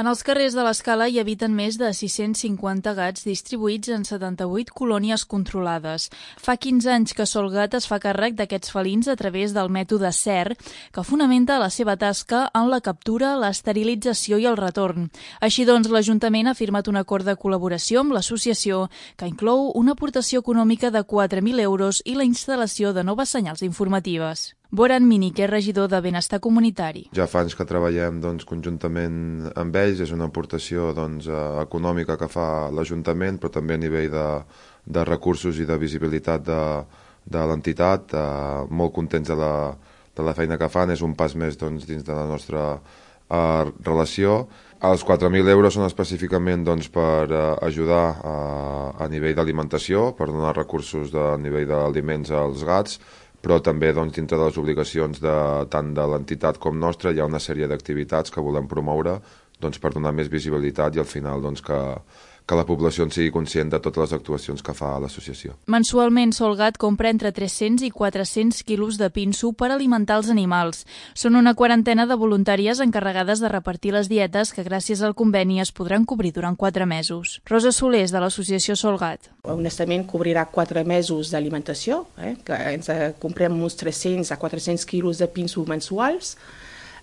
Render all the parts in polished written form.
En els carrers de l'Escala hi habiten més de 650 gats distribuïts en 78 colònies controlades. Fa 15 anys que Solgat es fa càrrec d'aquests felins a través del mètode CER, que fonamenta la seva tasca en la captura, l'esterilització i el retorn. Així doncs, l'Ajuntament ha firmat un acord de col·laboració amb l'associació que inclou una aportació econòmica de 4.000 euros i la instal·lació de noves senyals informatives. Boran Mini, que és regidor de Benestar Comunitari. Ja fa anys que treballem conjuntament amb ells, és una aportació econòmica que fa l'Ajuntament, però també a nivell de recursos i de visibilitat de l'entitat. Molt contents de la feina que fan, és un pas més dins de la nostra relació. Els 4.000 euros són específicament per ajudar a nivell d'alimentació, per donar recursos a nivell d'aliments als gats, però també dintre de les obligacions tant de l'entitat com nostra hi ha una sèrie d'activitats que volem promoure per donar més visibilitat i al final que la població en sigui conscient de totes les actuacions que fa l'associació. Mensualment, Solgat compra entre 300 i 400 quilos de pinso per alimentar els animals. Són una quarantena de voluntàries encarregades de repartir les dietes que gràcies al conveni es podran cobrir durant 4 mesos. Rosa Solés, de l'associació Solgat. Honestament, cobrirà 4 mesos d'alimentació, que ens comprem uns 300 a 400 quilos de pinso mensuals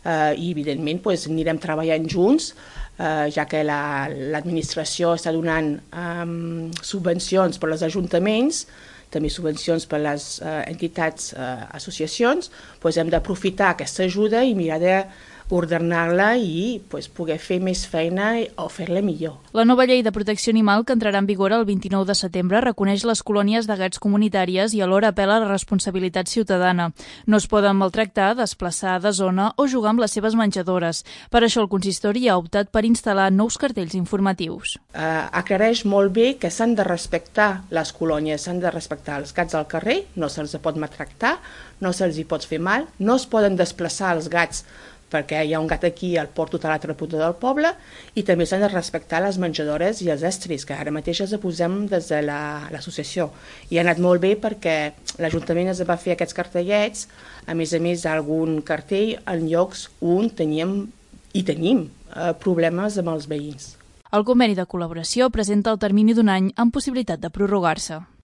i, evidentment, anirem treballant junts, ja que l'administració està donant subvencions per als ajuntaments, també subvencions per a les entitats, associacions, hem d'aprofitar aquesta ajuda i mirar d'ordenar-la i poder fer més feina o fer-la millor. La nova llei de protecció animal, que entrarà en vigor el 29 de setembre, reconeix les colònies de gats comunitàries i alhora apel·la a la responsabilitat ciutadana. No es poden maltractar, desplaçar de zona o jugar amb les seves menjadores. Per això el consistori ha optat per instal·lar nous cartells informatius. Aclareix molt bé que s'han de respectar les colònies, s'han de respectar els gats al carrer, no se'ls pot maltractar, no se'ls hi pot fer mal, no es poden desplaçar els gats perquè hi ha un gat aquí, el porto a l'altra punta del poble, i també s'han de respectar les menjadores i els estris, que ara mateix els posem des de l'associació. I ha anat molt bé perquè l'Ajuntament es va fer aquests cartellets, a més d'algun cartell en llocs on tenim problemes amb els veïns. El conveni de col·laboració presenta el termini d'un any amb possibilitat de prorrogar-se.